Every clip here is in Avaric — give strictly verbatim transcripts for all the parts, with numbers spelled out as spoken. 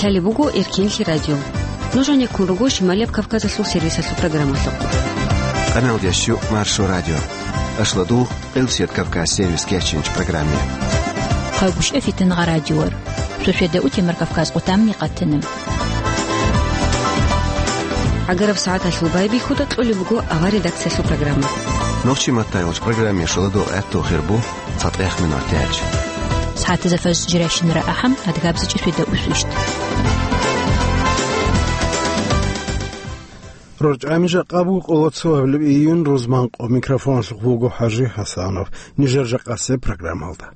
Лъалеб буго Эркенлъи радио. Нуж гьанеккун руго Шималияб Кавказалъул сервисалъул программалъухъ. Къаналдящу Маршо радио. Ашладу Къилсият Кавказ сервис кечинч программе. Хъагушев Фитнагъа радиор. Сосведа Утемар Кавказ къутамни къатана. ГӀагараб сагӀаталъул байбихьуда кьолеб буго авар редакциялъул программа. Нохчи маттайолч программе шоладо гӀатту хирбу цатӀех минут яч. СагӀатазда фаз жиращинара ахӀам адгабзичӀи сосведа усвищ. РорчӀами жакъа буго къоло цо гьабилеб июнь, рузманкъо. Микрофоналъухъ вуго ХӀажи ХӀасанов. Нижер жакъасеб программалда.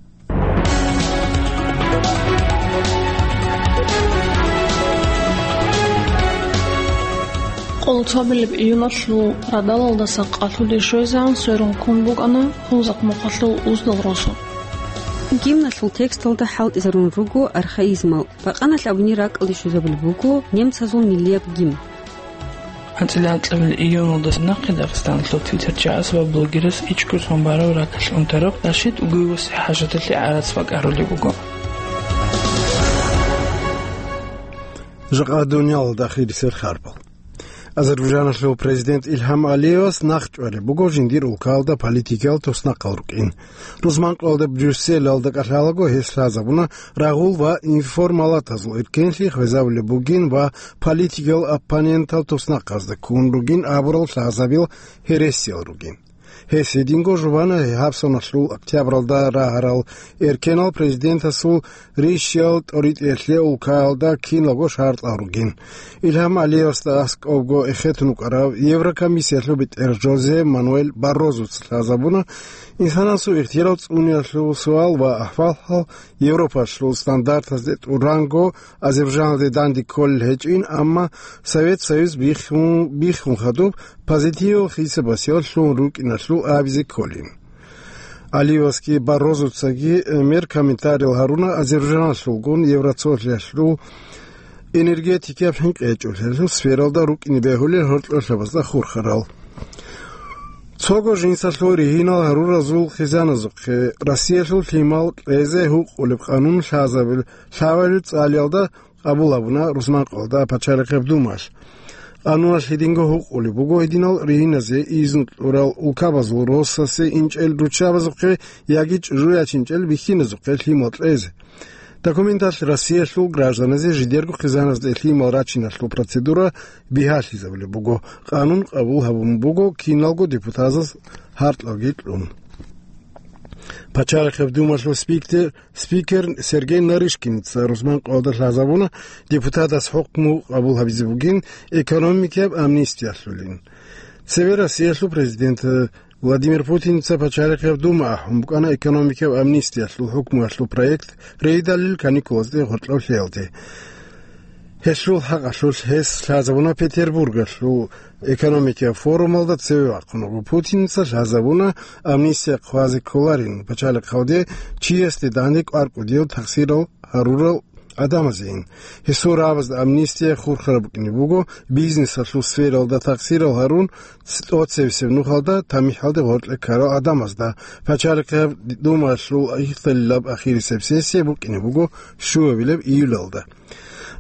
Къоло цо гьабилеб июналъул радалалдаса къалъуде щвезегӀан сверун ккун букӀана Хунзахъ мухъалъул Уздал росу. Гимналъул тексталда хӀалтӀизарун руго архаизмал, бакъаналъ абуни ракӀалде щвезабулеб буго немцазул миллияб гимн. АнцӀила анкьабилеб июналдаса нахъе Дагъистаналъул твиттерчагӀас ва блогерас ичӀго сон барав ракалъ унтарав Рашид Угуевасе хӀажаталъе гӀарац бакӀарулеб буго. Жакъа дуниялалда ахирисел харбал. Азербайжаналъул президент Илгьам Алиевас нахчӀвареб буго жиндир улкалда политикиял туснахъал рукӀин. Рузманкъоялда Брюсселалда кӀалъалаго гьес лъазабуна рагъул ва информалатазул эркенлъи хвезабулеб бугин ва политикиял оппонентал туснахъазда ккун ругин абурал лъазабил гьересиял ругин. Гьес гьединго жубана гьабсаналъул октябралда рагьарал эркенал президентасул рищал тӀоритӀиялъе улкаялда киналго шартӀал ругин. Илгьам Алиевасда аскӀобго эхетун вукӀарав Еврокомиссиялъул бетӀер Жозе Мануэль Баррозуца лъазабуна, инсанасул ихтияр цӀуниялъул суал ва ахӀвал-хӀал Европалъул стандартазде тӀуранго Азербайжаналде данде кколел гьечӀин, амма Совет Союз биххун, биххун хадуб позитивал хисабасиялъун рукӀиналъул абизе кколин. Алиевасги Баррозуцаги мер комментариял гьаруна Азербайжаналъулгун Евроцолъиялъул энергетикияб хӀинкъи гьечӀолъиялъул сфералда рукӀине бегьулел гьоркьорлъабазда хурхарал. Цого жинсалъул ригьинал гьаруразул хъизаназухъе Россиялъул лъимал кьезе гьукъулеб къанун лъазабил-, лъабабил цӀалиялда къабул гьабуна Рузманкъоялда Пачалихъеб Думалъ. Къануналъ гьединго гьукъулеб буго гьединал ригьиназе изну кьурал улкабазул росасе инчӀел руччабазухъе яги чӀужу ячинчӀел бихьиназухъе лъимал кьезе. Документалъ Россиялъул гражданазе жидерго хъизаназде лъимал рачиналъул процедура бигьалъизабулеб буго, къанун къабул гьабун буго киналго депутатаз гьаркьалги кьун. Пачалихъеб Думалъул спикер, спикер Сергей Нарышкинца Рузманкъоялда лъазабуна депутатас хӀукму къабул гьабизе бугин экономикияб амнистиялъулин. Цеве Россиялъул президент Владимир Путинца Пачалихъеб Дума ахӀун букӀана экономикияб амнистиялъул хӀукмуялъул проект рейдалил каникулазде гъоркьав лъеялде. Гьелъул хӀакъалъулъ гьес лъазабуна Петербургалъул экономикияб форумалда цеве вахъун вуго. Путинца лъазабуна амнистия хъвазе кколарин пачалихъалде чиясде данде кӀвар кӀудияв тахсирал гьарурал гӀадамазейин. Гьесул рагӀабазда амнистия хурхараб букӀине буго бизнесалъул сфералда тахсирал гьарун, ц-, тӀоцебесеб нухалда тамихӀалде гъоркье ккарал гӀадамазда. Пачалихъеб Думалъул ихталилаб ахирисеб сессия букӀине буго щуабилеб июлалда.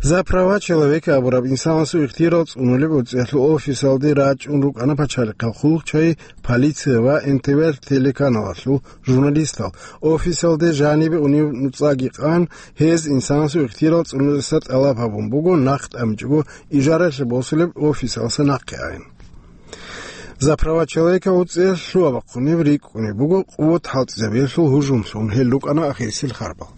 «За права человека» абураб инсанасул ихтияр цӀунулеб гӀурцӀиялъул офисалде рачӀун рукӀана пачалихъал хъулухъчагӀи, полиция ва Н Т В телеканалалъул журналистал. Офисалде жанибе унев нуцӀаги къан, гьез инсанасул ихтияр цӀунулеса тӀалаб гьабун буго, нахъ тӀамичӀого ижаралъе босулеб офисалса нахъе айин. «За права человека» гӀурцӀиялъ лъугьа-бахъунеб рикӀкӀунеб буго къуват хӀалтӀизабиялъул гьужумлъун. Гьел рукӀана ахирисел харбал.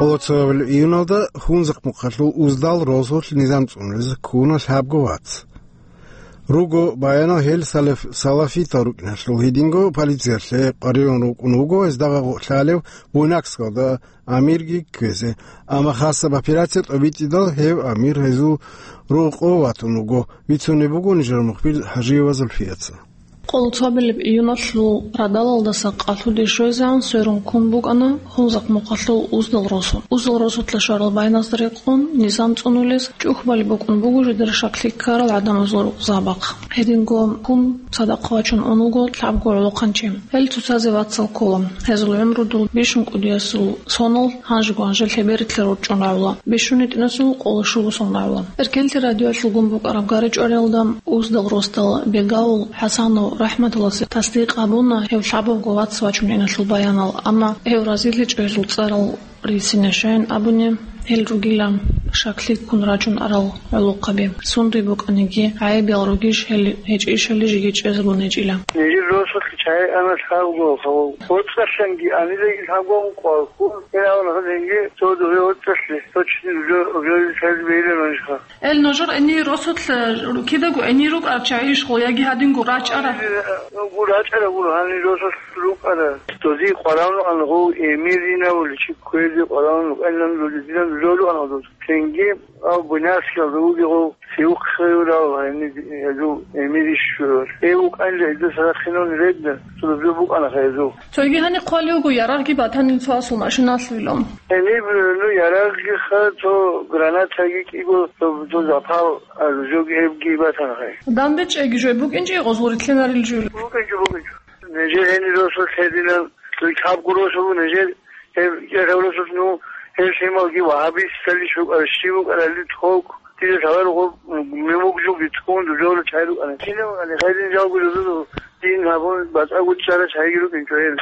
Къоло цо гьабилеб июналда Хунзахъ мухъалъул Уздал росулъ низам цӀунулеза ккуна лъабго вац. Руго баянал гьел салаф-, салафитал рукӀиналъул гьединго полициялъе къваригӀун рукӀун вуго гьезда гъагъу лъалев Буйнакскалда амирги кквезе, амма хасаб операция тӀобитӀидал гьев амир гьезул рокъов ватун вуго, бицунеб буго нижер мухбир ХӀажиева Зульфияца. Къоло цобилеб июналъул радалалдаса къалъуде щвезегӀан сверун ккун букӀана Хунзахъ мухъалъул Уздал росу. Уздал росулъа щварал байназда рекъон низам цӀунулес чӀухӀбалеб букӀун буго жидер щаклъи ккарал гӀадамазул рукъзабахъ. Гьединго ккун цадахъ вачун унаго лъабго гӀолохъанчи. Гьел цоцазе вацал ккола. Гьезул гӀумру дол бищун кӀудиясул сонал гьанжего гьанже лъеберилъа рорчӀун равла, бищун гьитӀинасул къоло щуго сон равла. Эркенлъи радиоялъул гун букӀараб гъарачӀвариялда Уздал росдал Бегавул ХӀасанов РахӀматулласе тасдикъ гьабуна гьев лъабабго вац вачун иналъул баянал, амма гьев разилъичӀо гьезул цӀарал рицинищайин абуни, гьел ругила щаклъи ккун рачун арал гӀолохъаби. Сундуй букӀаниги, гӀайибиял ругищ гьел гьечӀищали жеги чӀезабун гьечӀила. Нижер росулъ чагӀи ана лъабго, гьав, воцӀцӀалъанги анидаги лъабго къвалккун, гьел авал гьадинги цо дугье воцӀцӀалъе, цо чини уже, уже чагӀи бейилан анжха. Эл нужер эни росулъ, э, кидаго эни рукӀарчагӀищ гъо, яги гьадинго рачӀара? Гу рачӀара гуро, гьанир росулъ рукӀара. Дози къваравну ан гъов эмиринавуличи кквезе къваравну, элан дози динан жолу ан гъодоз. Цинги, а, Буйнакскиялда вугев сиухъ хвеюрал, гьанир гьезул эмирищ щурал. Э, вукӀанила гьезда сарахъинавни регда, цо дозе букӀана гьезул. Цоги гьани хъвали вуго, ярагъги батанин цо асул машиналъуйилан. Гьениб, ну, ярагъги ха, цо гранатаги кӀиго, цо, цо запал, а, жоги гьебги батана гьай. Дамбе чӀеги жой букӀинчӀи гъозул рилълъинарил жуйилан. БукӀинчӀо, букӀинчӀо. Нижер гьенир росулъ гьединан, цо лъабго росу нижер, гьеб, гьеб росулъ, ну, гьеб лъималги вагьабистали щукӀара, щиб букӀарали тхок. Дида лъаларо гъоб мемуг жуги тхун дужоро чай рукӀана. Кинав али гъайрин жалго дузу дин гьабун, батӀа гуччара чайги рукӀинчӀо гьел.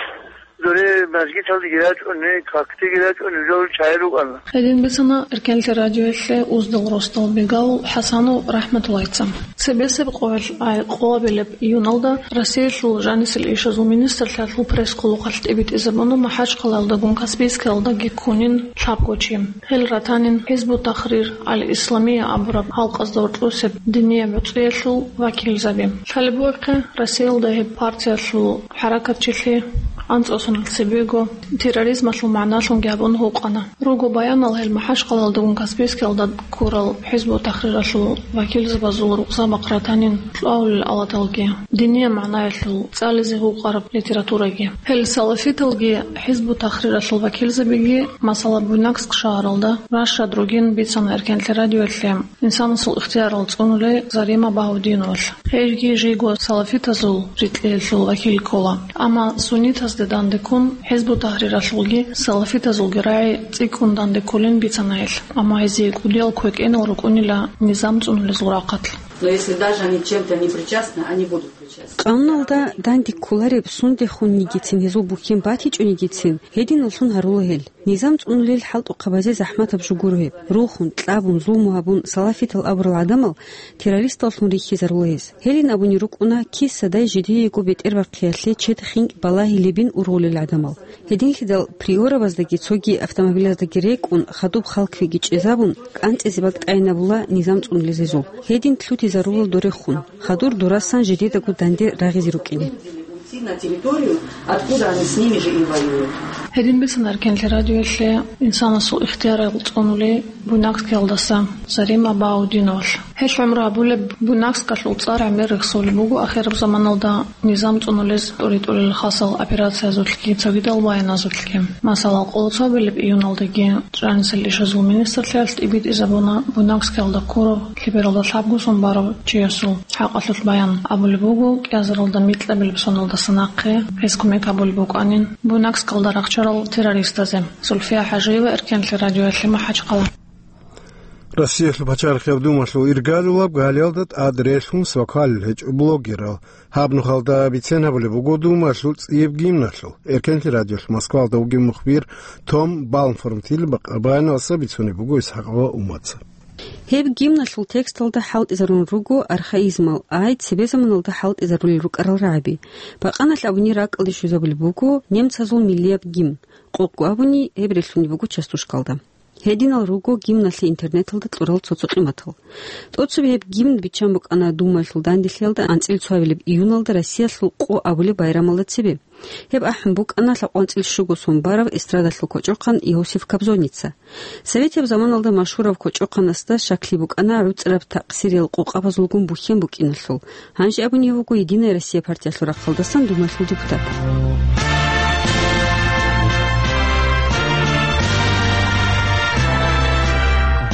Доре мажгиталдеги рачӀун, не, какдеги рачӀун, дужоро чай рукӀана. Гьедин бицана Эркенлъи радиоялъе Уздал росдал Бегавул ХӀасанов РахӀматуллайца. Цебесеб къоялъ ай къоабилеб июналда Россиялъул жанисел ишазул министрлъиялъул пресс-хъулухъалъ тӀибитӀизабуна МахӀачхъалаялдагун Каспийскиялдаги ккунин лъабго чи. Гьел ратанин ХӀизбу Тахрир Ал-Исламия абураб халкъазда гьоркьосеб динияб гӀуцӀиялъул вакилзаби. Лъалеб бугехъе, Россиялда гьеб партиялъул хӀаракатчилъи анцӀго соналъ цебего терроризмалъул магӀналъунги гьабун гьукъана. Руго баянал гьел МахӀачхъалаялдагун Каспийскиялда ккурал ХӀизбу Тахриралъул вакилзабазул рукъзабахъ ратанин кьвагьулел авлаталги, динияб магӀнаялъул цӀализе гьукъараб литератураги. Гьел салафиталги ХӀизбу Тахриралъул вакилзабиги, масала, Буйнакск шагьаралда рашад ругин бицана Эркенлъи радиоялъе инсанасул ихтиярал цӀунулей Зарима Багьаудиновалъ. Гьевги жийго салафитазул рикьиялъул вакил ккола. Амма суннитазде дандеккун ХӀизбу Тахриралъулги салафитазулги рагӀи цӀикӀкӀун дандеккулин бицана гьелъ. Амма гьезие кӀудиял квекӀенал рукӀунила низам цӀунулезул рахъалъ. Но если даже они чем-то не причастны, они будут причастны. Къануналда дандеккулареб сундехуннигицин гьезул бухьен батичӀунигицин, гьединаллъун гьарула гьел. Низам цӀунулел хӀалтӀухъабазе захӀматаб жо гуро гьеб. Рухун, кьабун, зулму гьабун, салафитал абурал гӀадамал террористаллъун рихьизарула гьез. Гьелин абуни рукӀуна киса-дай жидеего бетӀербахъиялъе чед хинкӀ балагьилебин ургъулел гӀадамал. Гьединлъидал Приороваздаги цоги автомобилаздаги рекӀун, хадуб хал кквеги чӀезабун, кӀанцӀизе бакӀ тӀайинабула низам цӀунулез гьезул. Гьедин лъутизарула дорехун, хадур дурасан жидедаго данде рагъизе рукӀине. Уйти на территорию, откуда они с ними же и воюют. Гьедин бицана Эркенлъи радиоялъе инсанасул ихтиярал цӀунулей Буйнакскиялдаса Зарима Багьаудиновалъ. Гьелъ гӀумру гьабулеб Буйнакскалъул цӀар гӀемер рехсолеб буго ахираб заманалда низам цӀунулез тӀури-тӀурел хасал операциязулъги цогидал баяназулъги. Масала, къоло цобилеб июналдаги жанисел ишазул министрлъиялъ тӀибитӀизабуна Буйнакскиялда ккурав лъебералда лъабго сон барав чиясул хӀакъалъулъ баян. Абулеб буго, кӀиазаралда микьабилеб соналдаса нахъе гьез кумек гьабулеб букӀанин Буйнакскалда рахчарал террористазе. Зульфия ХӀажиева, Эркенлъи радиоялъе, МахӀачхъала. Россиялъул пачарихъеб думалъул иргалулаб галиялда тӀад релълъун свакалил гьечӀо блогерал. Гьаб нухалда бицен гьабулеб буго думалъул цӀияб гимналъул. Эркенлъи радиолъ Москвалда вугев мухбир Том Балмформ тил бакъабаиналса бицунеб буго Исхакъова Умаца. Гьеб гимналъул тексталда хӀалтӀизарун руго архаизмал, ай цебе заманалда хӀалтӀизарулел рукӀарал рагӀаби. Бакъаналъ абуни ракӀалде щвезабулеб буго немцазул миллияб гимн. Къокъго абуни гьеб релълъунеб буго частушкалда. Гьединал руго гимналъе интернеталда кьурал цо-цо къиматал. ТӀоцебе гьеб гимн биччан букӀана Думаялъул данделъиялда анцӀила цоабилеб июналда Россиялъул къо абулеб байрамалда цебе. Гьеб ахӀун букӀана лъабкъоялда анцӀила щуго сон бараб эстрадалъул кочӀохъан Иосиф Кобзоница. Советияб заманалда машгьурав кочӀохъанасда щаклъи букӀана гӀуцӀраб такъсириял къокъабазулгун бухьен букӀиналъул. Гьанже абунев вуго Единая Россия партиялъул рахъалдасан Думаялъул депутат.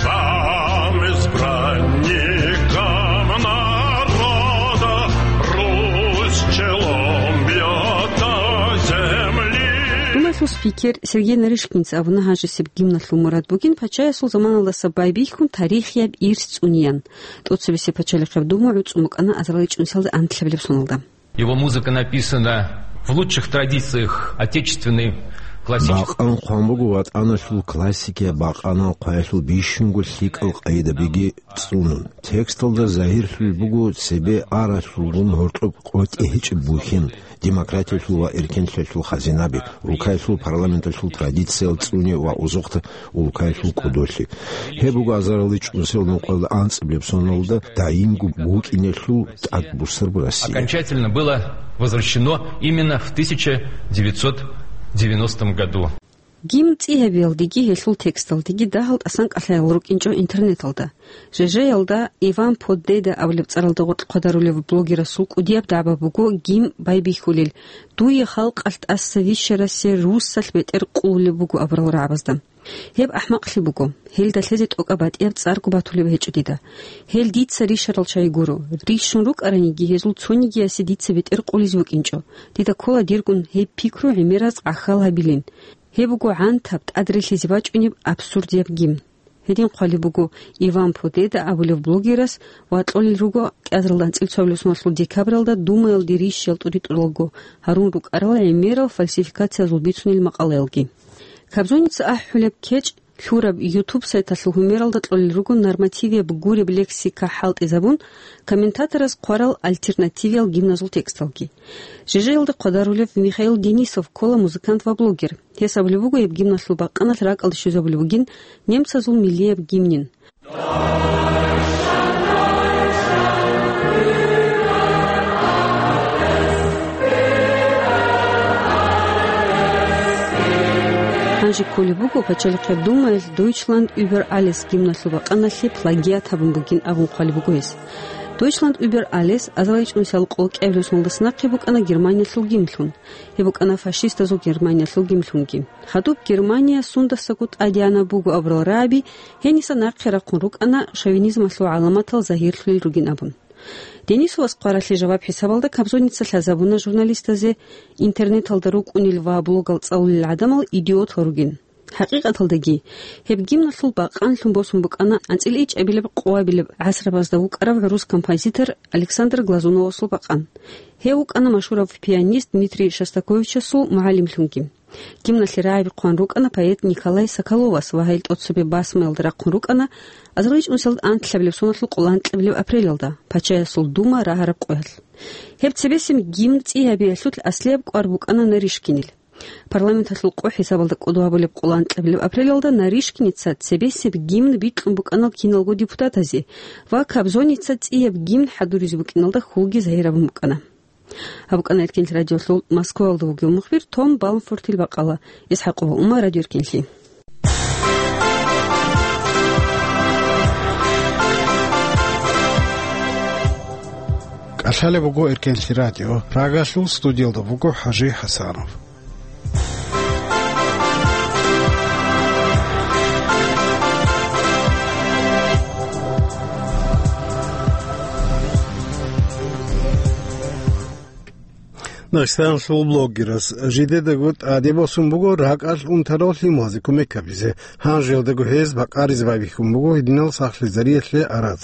Вам, избранникам народа, Русь челом бьёт до земли. Думаялъул спикер Сергей Нарышкинца абуна гьанжесеб гимналъул мурад бугин пачаясул заманалдаса байбихьун тарихияб ирс цӀунеян. ТӀоцебесеб пачалихъеб дума гӀуцӀун букӀана азарилчӀунсиялда анлъабилеб соналда. Его музыка написана в лучших традициях отечественной классической. Бакъан хъван буго ватӀаналъул классикияб бакъанал хъваялъул бищунго лъикӀал къайдабиги цӀунун. Тексталда загьирлъулеб буго цебе аралъулгун гьоркьоб къотӀи гьечӀеб бухьен, демократиялъул ва эркенлъиялъул хазинаби, улкаялъул парламенталъул традициял цӀуне ва озокъда улкаялъул кӀодолъи. Гьеб буго азарилчӀунсиял нухъалда анцӀабилеб соналда даимго букӀиналъул тӀадбуссараб Россия. Окончательно было возвращено именно в тысяча девятьсот девяностом году. Гимн цӀи гьабиялдеги гьелъул тексталдеги дагьал тӀасан кӀалъаял рукӀинчӀо интернеталда. Жежеялда Иван Подеда абулеб цӀаралда гъоркь хъвадарулев блогерасул кӀудияб дагӀба буго гимн байбихьулел: «Дуе халкъалъ тӀаса вищарасе руссалъ бетӀер къулулеб буго», — абурал рагӀабазда. Гьеб ахӀмакълъи буго, гьелда лъезе тӀокӀаб батӀияб цӀарго батулеб гьечӀо дида. Гьел дица рищарал чагӀи гуро. Рищун рукӀараниги, гьезул цонигиясе дица бетӀер къулизе букӀинчӀо. Дида ккола диргун гьеб пикру гӀемераз гӀахьал гьабилин. Гьеб буго гӀантаб, тӀадрилълъизе бачӀунеб абсурдияб гимн. Гьедин хъвалеб буго Иван Подеда абулев блогерас ва кьолел руго кӀиазаралда анцӀила цоабилеб соналъул декабралда Думаялде рищ ялтӀури тӀуралго гьарун рукӀарал гӀемерал фальсификациязул бицунел макъалаялги. Кобзоница ахӀулеб кечӀ лъураб YouTube сайталъул гьумералда кьолел руго нормативияб гуреб лексика хӀалтӀизабун, комментатораз хъварал альтернативиял гимназул тексталги. Жежеялда хъвадарулев Михаил Денисов ккола музыкант ва блогер. Гьес абулеб буго гьеб гимналъул бакъаналъ ракӀалде щвезабулеб бугин немцазул миллияб гимнин. Гьанже кколеб буго пачалихъеб думаялъ Deutschland über alles гимналъул бакъаналъе плагиат гьабун бугин абун хъвалеб буго гьес. Deutschland über alles азарилчӀунсиял къо кӀиабилеб соналдаса нахъе букӀана Германиялъул гимнлъун. Гьеб букӀана фашистазул Германиялъул гимнлъунги. Гьадуб Германия сундасаго тӀадегӀанаб буго абурал рагӀаби гьениса нахъе рахъун рукӀана шовинизмалъул гӀаламатал загьирлъулел ругин абун. Денисовас хъваралъе жаваб хӀисабалда Кобзоница лъазабуна журналистазе интернеталда рукӀунел ва блогал цӀалулел гӀадамал идиотал ругин. ХӀакъикъаталдаги, гьеб гимналъул бакъанлъун босун букӀана анцӀила ичӀабилеб-къоабилеб гӀасрабазда вукӀарав гӀурус композитор Александр Глазуновасул бакъан. Гьев вукӀана машгьурав пианист Дмитрий Шостаковичасул мугӀалимлъунги. Гимналъе рагӀаби хъван рукӀана поэт Николай Соколовас ва гьел тӀоцебе басмаялда рахъун рукӀана азарилчӀунсиялда анлъабилеб соналъул къоло анкьабилеб апрелалда, пачаясул дума рагьараб къоялъ. Гьеб цебесеб гимн цӀи гьабиялъул аслияб кӀвар букӀана Нарышкинил. Парламенталъул къо хӀисабалда кӀодо гьабулеб къоло анкьабилеб апрелалда Нарышкиница цебесеб гимн бикьун букӀанал киналго депутатазе ва Кобзоница цӀияб гимн хӀадуризе букӀиналда хьулги загьир гьабун букӀана. Гьаб букӀана Эркенлъи радиолъул Москваялда вугев мухбир Том Балмфортил бакъала. ИсхӀакъова Ума, Радио Эркенлъи. КӀалъалеб буго Эркенлъи радио. Прагалъул студиялда буго ХӀажи ХӀасанов. Дагъистаналъул блогерас жидедаго тӀаде босун буго ракӀалъ унтарал лъималазе кумек гьабизе. Гьанжелдаго гьез бакъаризе байбихьун буго гьединал сахлъизариялъе гӀарац.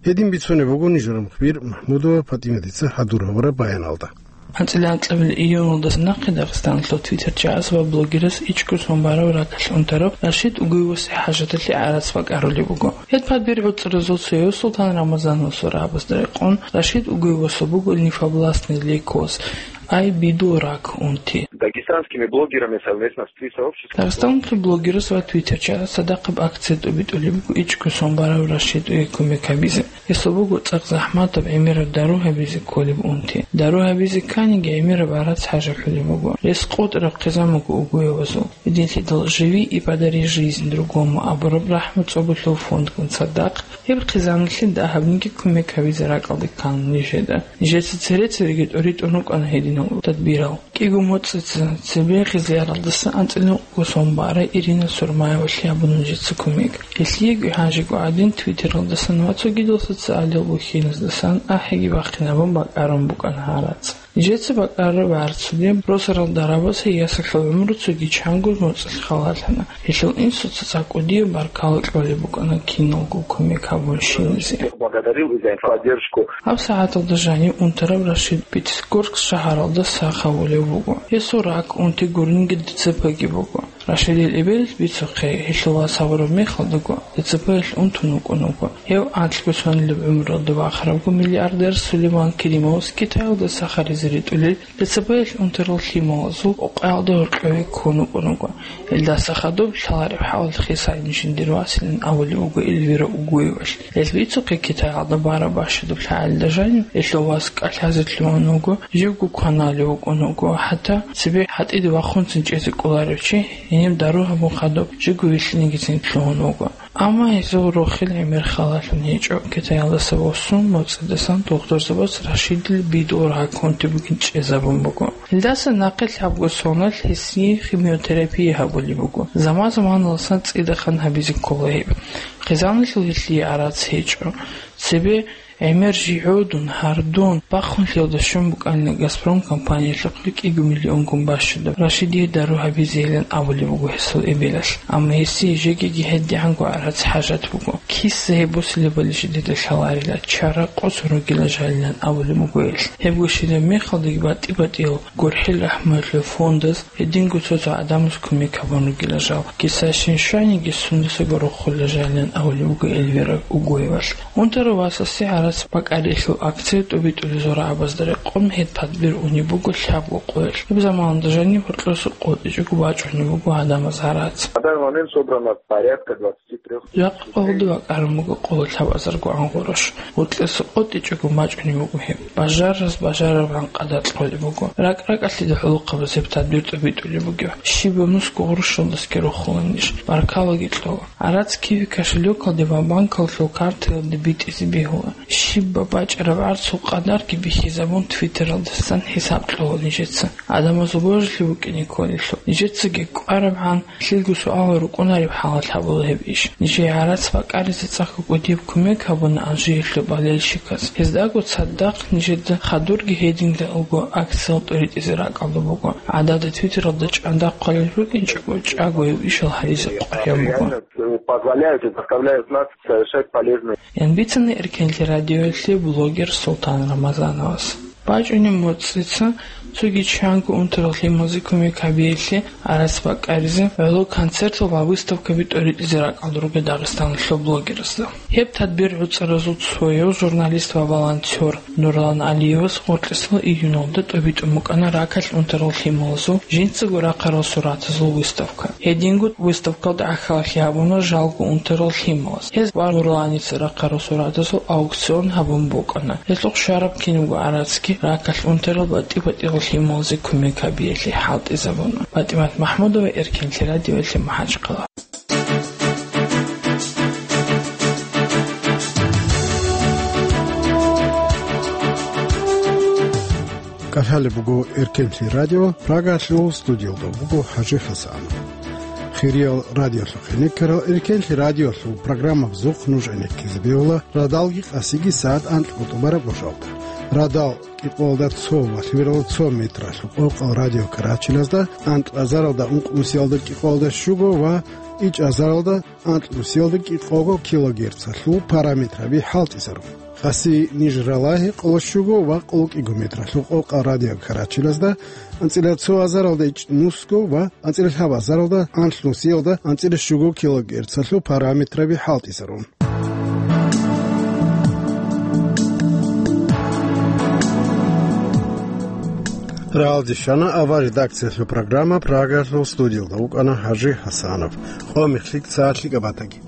Гьедин бицунеб буго нижер мухбир МахӀмудова ПатӀиматица хӀадур гьабураб баяналда. АнцӀила анкьабилеб июлалдаса нахъе Дагъистаналъул Twitter чагӀаз ва блогерас ичӀго сон бараб ракӀалъ унтараб Рашид Угуевасе хӀажаталъе гӀарац бакӀарулеб буго. Гьеб пад бер гӀуцӀразул цояв Султан Рамазановасул рагӀабазда рекъон Рашид Угуевасул буго лимфобластный лейкоз, ай, бидул рак, унти. Дагестанскими блогерами совместно с Twi сообществом. Дагъистаналъул блогерас ва твиттерчияс цадахъаб акция тӀобитӀулеб буго ичӀго сон барав Рашидие кумек гьабизе. Гьесул буго цӀакъ захӀматаб гӀемераб дару гьабизе кколеб унти. Дару гьабизе кканиги гӀемераб гӀарац хӀажалъулеб буго. Рес къотӀараб хъизан буго угоявазул. Гьединлъидал «Живи и подари жизнь другому» абураб рахӀмат цӀоболъул фондгун цадахъ, гьеб хъизаналъе дагьабниги кумек гьабизе ракӀалде ккана нижеда. Нижеца цере-цереги тӀоритӀун рукӀана гьединал тадбирал. КӀиго моцӀица цебе Хизлияралдаса анцӀила ункъго сон бара Ирина Сурмаевалъе гьабуна нижеца кумек. Гьелъиеги гьанжего гӀадин, Твиттералдасан ва цогидал социалил бухьиназдасан ахӀиги бахъинабун бакӀарун букӀана гьарац. Нижеца бакӀараб гӀарцуде росарал дарабаз гьей ясалъул гӀумру цоги чанго моцӀалъ халалъана. Гьелъул инсуца цӀакъ кӀудияб баркала кьолеб букӀана киналго кумек гьабунщиназе. Всех благодарил за поддержку. Гьаб сагӀаталда жанив унтарав Рашид Пятигорск шагьаралда сах гьавулев вуго. Гьесул рак, унти гуринги ДЦП-ги буго. Рашидил эбелалъ бицухъе, гьелъул вас гьавураб мехалдаго, ДЦП-ялъ унтун вукӀун вуго. Гьев анлъго сонилаб гӀумруялда вахарабго миллиардер Сулейман Керимовас Китаялда сахаризе ритӀулел ДЦП-ялъ унтарал лъималазул къокъаялда гьоркьове ккун вукӀун вуго. Гьелдаса хадуб лъалареб хӀалалъ хисайин жиндир василан абулев вуго Эльвира Угуевалъ. Гьел бицухъе Китаялда бараб бащадаб лъагӀалда жанив гьелъул вас кӀалъазе лъугьун вуго, живго кваналев вукӀун вуго, хӀатта цебе гьатӀиде вахунцин чӀезе кӀоларев чи гьениб дару гьабун хадуб живго вилълъинегицин лъугьун вуго. Амма гьезул рохел гӀемер халалъун гьечӀо, Китаялдаса восун моцӀидасан дохтурзабаз Рашидил бидул рак унти бугин чӀезабун буго. Гьелдаса нахъе лъабго соналъ гьесие химиотерапия гьабулеб буго, заман-заманаласан цӀидасан гьабизе ккола гьеб. Хъизаналъул гьелъие гӀарац гьечӀо. Цебе гӀемер жи гӀодун, гьардун, бахъун лъелда щун букӀанила «Газпром» компаниялъухъе кӀиго миллионгун бащадаб Рашидие дару гьабизейилан абулеб буго гьесул эбелалъ. Амма гьесие жегиги гьедигӀанго гӀарац хӀажат буго. Киса гьеб босилебали жидеда лъаларила, чара къосун ругила жалилан абулеб буго гьелъ. Гьебго щибаб мехалдаги батӀи-батӀиял гурхӀел рахӀмуялъул фондаз гьединго цо-цо гӀадамаз кумек гьабун ругила жал. Киса щин щваниги сундасаго рохула жалилан абулеб буго Эльвира Угуевалъ. Унтарав васасе гӀарац бакӀариялъул акция тӀобитӀулел зурабазда рекъон гьеб тадбир унеб буго лъабго къоялъ. Гьеб заманалда жанив гьоркьоса къотӀичӀого бачӀунеб буго гӀадамаз гӀарац. На данный момент собрано порядка двадцати трёх тысяч. Жакъа къолде бакӀарун буго къоло лъабазарго гӀан гъурущ. Гьоркьоса къотӀичӀого бачӀунеб буго гьеб. Бажарараз бажарарабгӀан къадар кьолеб буго. РакӀ-ракӀалъида гӀолохъабаз гьеб тадбир тӀобитӀулеб бугеб. Щибаб нусго гъурущалдасги рохула ниж. Баркалаги кьола. ГӀарац киви кошелёкалде ва банкалъул картаялде битӀизе бегьула. Щибаб бачӀараб гӀарцул къадарги бихьизабун, Твиттералдасан хӀисаб кьола нижеца. Гьадамазул божилъи букӀине кколелъул. Нижецаги кӀварабгӀан лъилго суалал рукӀунареб хӀалалъ гьабула гьеб иш. Нижее гӀарац бакӀаризе цӀакъго кӀудияб кумек гьабуна Алжириялъул болельщиказ. Гьездаго цадахъ нижеда хадурги гьединго акциял тӀоритӀизе ракӀалда буго. ГӀадада Твиттералда чӀандахъ хъвалел рукӀинчӀого, чӀаго гьев ишал гьаризе къваригӀун буго. Позволяют и заставляют нас совершать полезные. Ян бицана Эркенлъи радиоялъе блогер Султан Рамазановас. БачӀунеб моцӀица цоги чанго унтарал лъималазе кумек гьабиялъе гӀарац бакӀаризе гӀоло концертал ва выставкаби тӀоритӀизе ракӀалда руго Дагъистаналъул блогерасда. Гьеб тадбир гӀуцӀаразул цояв, журналист ва волонтёр Нурлан Алиевас гьоркьисал июналда тӀобитӀун букӀана ракалъ унтарал лъималазул жинцаго рахъарал суратазул выставка. Гьединго выставкалда гӀахьаллъи гьабуна жалго унтарал лъималаз. Гьез ва Нурланица рахъарал суратазул аукцион гьабун букӀана. Гьелъухъ щвараб кинабго гӀарацги ракалъ унтарал батӀи-батӀиял лъималазе кумек гьабиялъе хӀалтӀизабуна. ПатӀимат МахӀмудова, Эркенлъи радиоялъе, МахӀачхъала. КӀалъалеб буго Эркенлъи радио, Прагалъул студиялда буго ХӀажи ХӀасан. Хириял радиолъухъе некерал, Эркенлъи радиолъул программабазухъ нуж гӀенеккизе бегьула радалги къасиги сагӀат анкьго тӀубараб гӀужалда. Радал кӀикъоялда цо ва лъабералда цо метралъул къокъал радио Карачилазда, анкьазаралда ункънусиялда кӀикъоялда щуго ва ичӀазаралда анкьнусиялда кӀикъого килогерцалъул параметраби хӀалтӀизарун. Къаси ниж ралагьи къоло щуго ва къоло кӀиго метралъул къокъал радио Карачилазда, анцӀила цо азаралда ичӀнусго ва анцӀила лъабазаралда анлънусиялда анцӀила щуго килогерцалъул параметраби хӀалтӀизарун. Рагьалде щвана авал редакциялъул программа Прагаялъул, студиялда вукӀана Гьажи Гьасанов. Къо мехлъи цӀалъи кӀабатаги.